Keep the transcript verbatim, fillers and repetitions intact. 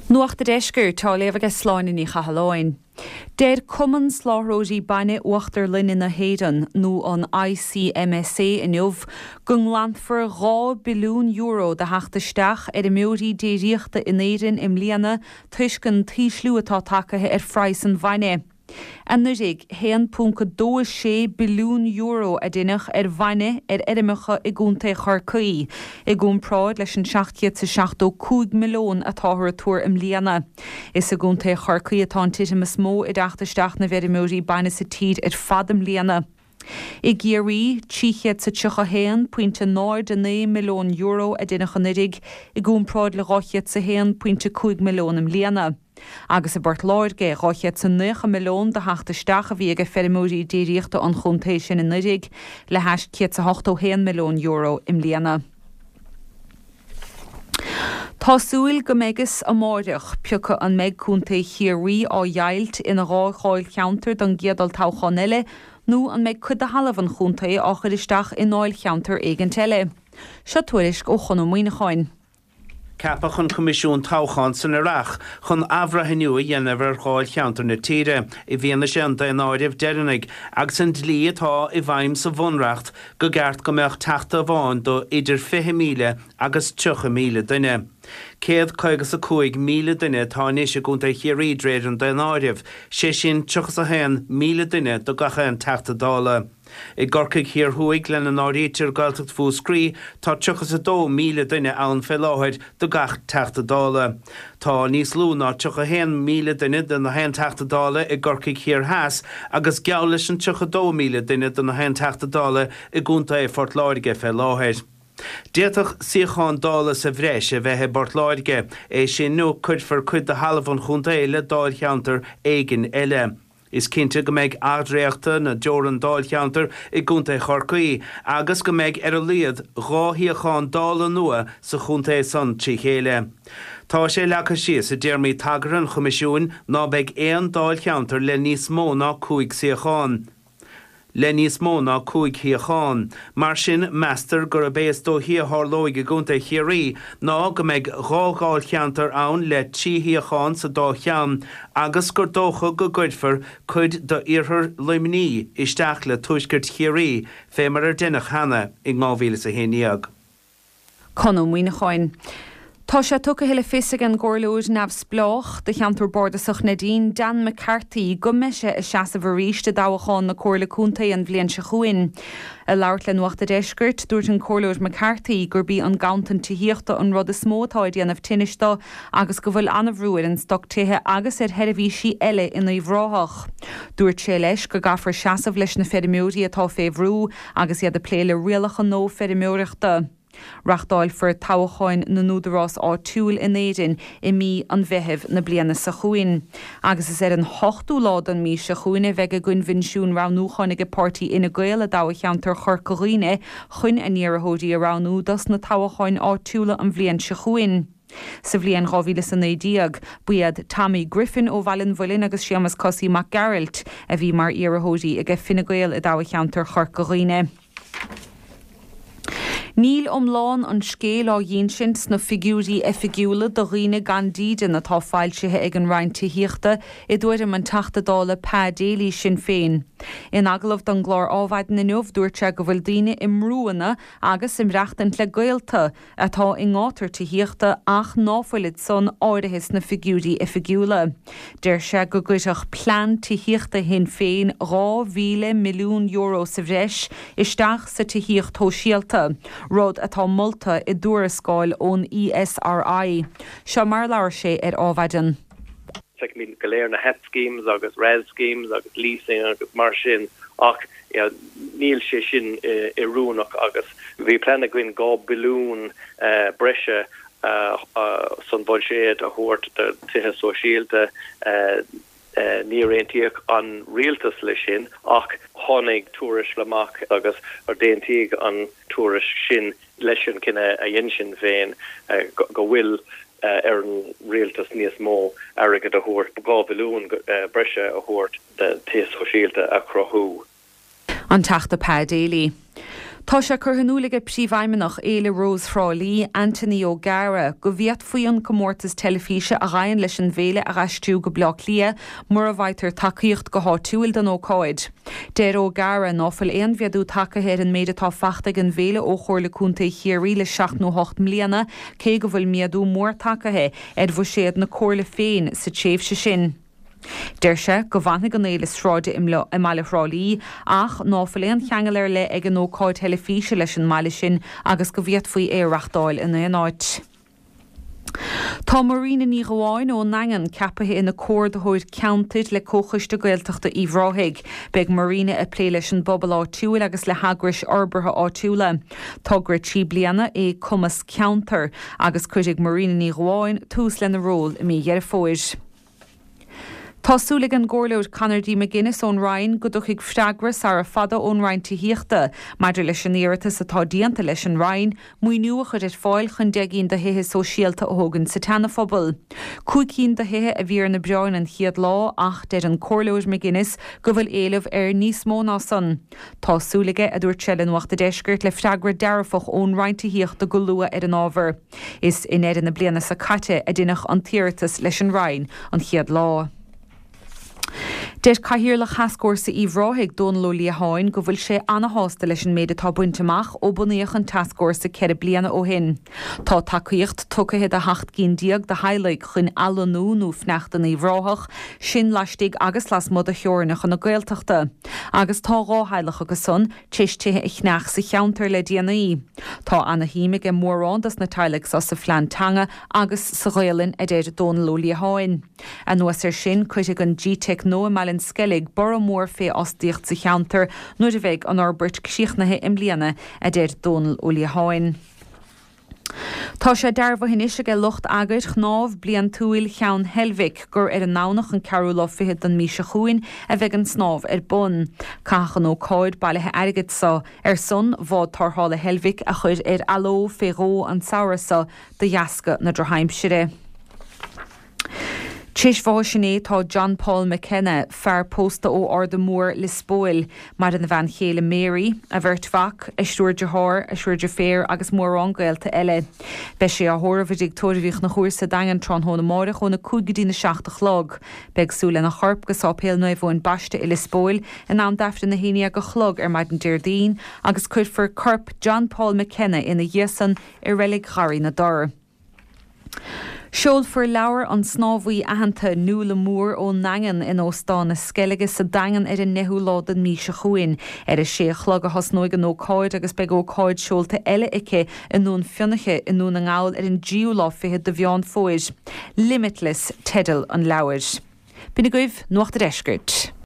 Nuacht an Deiscirt á léamh ag Sláine Ní Chathalláin. Deir Cumann Soláthróirí Bainne Uachtar Linne na hÉireann nó an ICMSA inniu go nglanfar dhá billiún euro de theacht isteach fheirmeoirí déiríochta in Éirinn i mbliana toisc an t-ísliú atá tagtha ar phraghas an bhainne. Anuraidh haon ponc dó sé billiún euro a deineadh ar bhainne ar fheirmeacha i gContae Chorcaí, i gcomparáid leis an seacht chéad is seachtó cúig milliún atáthar ag tuar i mbliana. Is i gContae Chorcaí atá an titim is mó i dteacht isteach na bhfeirmeoirí bainne sa tír ar fad i mbliana. I gCiarraí trí chéad is tríocha haon pointe náid a naoi milliún euro a deineadh anuraidh i gcomparáid le dhá chéad is a haon pointe cúig milliún i mbliana. Agus i bPort Láirge dhá chéad is naocha milliún de theacht isteach a bhí ag feirmeoirí déiríochta an chontae sin anuraidh le hais céad is ochtó haon milliún euro i mbliana. Tá súil go mbeidh fhios amáireach pé acu an mbeidh Contae Chiarraí á dheighilt ina dhá dháilcheantar don gcéad olltoghchán eile nó an mbeidh cuid de thalamh an chontae á chur isteach i ndáilcheantar éigint eile. Seo tuairisc ó Chon Ó Muíneacháin. Ceapadh an Coimisiún Toghcháin san Earrach chun athbhreithniú a dhéanamh ar dháilcheantair na tíre i bhfianaise an daonáirimh deireanaigh agus an dlí atá i bhfeidhm sa bhunreacht go gceart go mbeadh teachta amháin do idir fiche míle agus tríocha míle duine. Céad caoga is a cúig míle duine atá anois i gContae Chiarraí de réir an daonáirimh, sé sin tríocha is a haon míle duine do gach aon Teachta Dála. I gCorcaigh Thiar Thuaidh, lena n-áirítear Gaeltacht Mhúscraí, tá tríocha is a dó míle duine ann fé láthair do gach Teachta Dála. Tá níos lú ná tríocha a haon míle duine do na haon Teachta Dála i gCorcaigh Thiar Theas agus geall leis an tríocha dó míle duine do na haon Teachta Dála i gContae Phort Láirge fé láthair. D'fhéadfadh suíochán Dála sa bhreis a bheith i bPort Láirge, é sin nó cuirfear cuid de thalamh an chontae le dáilcheantar éigin eile. Is cinnte go mbeidh athdhréachtadh na dteorann dáilcheantar i gContae Chorcaí agus go mbeidh ar a laghad dhá shuíochán Dála nua sa chontae san trí chéile. Tá sé leagtha síos i dtéarmaí tagartha an Choimisiúin ná beidh aon dáilcheantar le níos mó ná cúig suíochán. le níos mó ná cúig shuíochán. Mar sin, meastar gurb é is dóichí a tharlóidh i gContae Chiarraí ná go mbeidh dhá dháilcheantar ann le trí shuíochán sa dá cheann agus gur dócha go gcuirfear cuid d'iarthar Luimnigh isteach le tuaisceart Chiarraí fé mar a deineadh cheana in dhá mhíle is a haon déag. Con Ó Muíneacháin. Tá sé tugtha le fios ag an gcomhairleoir neamhspleách do cheantar bardasach Neidín Dan McCarthy go mbeidh sé ag seasamh arís i dtoghchán na Comhairle Contae an bhliain seo chugainn. Ag labhairt le Nuacht an Deiscirt, dúirt an comhairleoir McCarthy gurb í an ganntan tithíochta an rud is mó atá ag déanamh tinnis dó agus go bhfuil an-bhrú ar an stoc tithe agus ar sheirbhísí eile in Uíbh Ráthach. Dúirt sé leis go gcaithfear seasamh leis na feirmeoirí atá fé bhrú agus iad ag plé le rialacha nua feirmeoireachta. Reáchtálfar toghcháin na n-údarás áitiúil in Éirinn i mí an Mheithimh na bliana seo chugainn. Agus is ar an hochtú lá den mhí seo chugainn a bheidh a gcoinbhinsiún roghnúcháin ag páirtí Fhine Gael i dtoghcheantar Chorca Dhuibhne chun a n-iarrthóirí a roghnú dos na toghcháin áitiúla an bhliain seo chugainn. Sa bhliain dhá mhíle is a naoi déag, ba iad Tommy Griffin ó Bhaile an Mhuilinn agus Séamus Cosaí Mac Gearailt a bhí mar iarrthóirí ag Fine Gael i dtoghcheantar Chorca Dhuibhne. Níl iomlán an scéil á dh'insint sna figiúirí oifigiúla do dhaoine gan dídean atá foilsithe ag an Roinn Tithíochta, i dtuairim an Teachta Dála Pa Daly, Sinn Féin. In agallamh don gclár Adhmhaidin inniu, dúirt sé go bhfuil daoine i mbrúanna agus ag maireachtaint le gaolta atá i ngátar tithíochta ach ná fuilid san áirithe sna figiúirí oifigiúla. Deir sé go gcuirfeadh plean tithíochta Shinn Féin dhá mhíle milliún euro sa bhreis isteach sa tithíocht shóisialta, rud atá molta i dtuarascáil ón ESRI. Seo mar a labhair sé ar Adhmhaidin. Feicimid go léir na HEP schemes agus RES schemes agus leasing agus mar sin ach níl sé sin oiriúnach agus bhí plean againn dhá billiún breise san bhuiséad a thabhairt do tithe sóisialta. Níor aontaíodh an rialtas leis sin ach tháinig tuairisc amach agus d'aontaigh an tuairisc sin leis an cinneadh a dhein Sinn Féin go bhfuil ar an rialtas níos mó airgead a thabhairt, dhá bhilliún breise a thabhairt do tithe sóisialta a chruthú. An Teachta Pa Daly. Tá sé curtha in iúl ag Príomhfheidhmeannach Fhéile Rós Thrá Lí, Anthony O'Gara, go bhféadfaí an comórtas teilifíse a ghabhann leis an bhféile a aistriú go Baile Átha Cliath mura bhfaightear tacaíocht go háitiúil don ócáid. Deir O'Gara ná fuil aon mhéadú tagtha ar an méid atá faighte ag an bhféile ó Chomhairle Contae Chiarraí le seacht nó ocht mbliana, cé go bhfuil méadú mór tagtha ar bhuiséad na comhairle féin sa tréimhse sin. Deir sé go bhfanfaidh an fhéile sráide i mbaile Thrá Lí ach ná fuil aon cheangal ar leith ag an ócáid teilifíse leis an mbaile sin agus go bhféadfaí é a reáchtáil in aon áit. Tá Marina Ní Ghabháin ón nDaingean ceaptha ina comhordaitheoir ceantair le Comhchoiste Gaeltachta Uíbh Ráthaigh. Beidh Marina ag plé leis an bpobal áitiúil agus le heagrais fhorbartha áitiúla. Togra trí bliana é Cumas Ceantar agus cuirfidh Marina Ní Ghabháin tús lena ról i mí Dheireadh Fómhair. Tá súil ag an gComhairleoir Conor D. McGuinness ón Rinn go dtiocfaidh freagra sara fada ón Roinn Tithíochta maidir leis an iarratas atá déanta leis an Roinn maoiniú a chur ar fáil chun deich gcinn de thithe sóisialta a thógaint sa tSeana-Phobal. Cúig cinn de thithe a bhí ar na bioráin an chéad lá ach deir an Comhairleoir McGuinness go bhfuil éileamh ar níos mó ná san. Tá súil aige a dúirt sé le Nuacht an Deiscirt le freagra dearfach ón Roinn Tithíochta go luath ar an ábhar. Is i ndeireadh na bliana seo caite a deineadh an t-iarratas leis an Roinn an chéad lá. Deir Cathaoirleach Thascfhórsa Uíbh Ráthaigh Dónal Ó Liatháin go bhfuil sé ana-shásta leis an méid atá bainte amach ó bunaíodh an tascfhórsa ceithre bliana ó shin. Tá tacaíocht tugtha do sheacht gcinn déag de theaghlaigh chun athlonnú nó fanacht in Uíbh Ráthach, sin laistigh agus lasmuigh de theorainneacha na Gaeltachta. Agus tá dhá theaghlach acu san tar éis tithe a cheannach sa cheantar le déanaí. Tá ana-shuim ag mórán dos na teaghlaigh sa phlean teanga agus sa Ghaelainn a deir Dónal Ó Liatháin. Anuas air sin cuirfidh an GTeic nua i mBaile an Sceilg borradh mór fé fhostaíocht sa cheantar nuair a bheidh an fhorbairt críochnaithe i mbliana a deir Dónal Ó Liatháin. Tá sé dearbhaithe anois ag lucht eagair shnámh bliantúil Cheann Heilbhic gur ar an nDomhnach an ceathrú lá fichead den mhí seo chugainn a bheidh an snámh ar bun. Caitheadh an ócáid bailithe airgid seo ar son bhád tarrthála Heilbhic a chur ar athló fé dhó an samhradh seo de dheasca na drochaimsire. Tar éis bháis inné tá John Paul McKenna, fear pósta ó Ardadh Mór Lios Póil, maireann a bhean chéile Mary, a bheirt mhac, a thriúr dearthár, a thriúr deirféar agus mórán gaolta eile. Beidh sé á thórramh i dtigh tórraimh Uí Chonchúir sa Daingean tráthnóna amárach óna cúig go dtí na seacht a chlog. Beidh súil lena chorp go Sáipéal Naomh Eoin Baiste i Lios Póil in am d'Aifreann a haon déag a chlog ar maidin Déardaoin agus cuirfear corp John Paul McKenna ina dhiaidh san i reilig Gharraí na dTor. Seolfar leabhar an snámhaí aitheanta Nuala Moore ón nDaingean in Óstán na Sceilge sa Daingean ar an deichiú lá den mhí seo chugainn. Ar a sé a chlog a thosnóidh an ócáid agus beidh ócáid seolta eile aici i nDún Fionnachaidh i nDún na nGall ar an dtríú lá fichead de Mheán Fómhair. Limitless teideal an leabhair. B'in agaibh Nuacht an Deiscirt.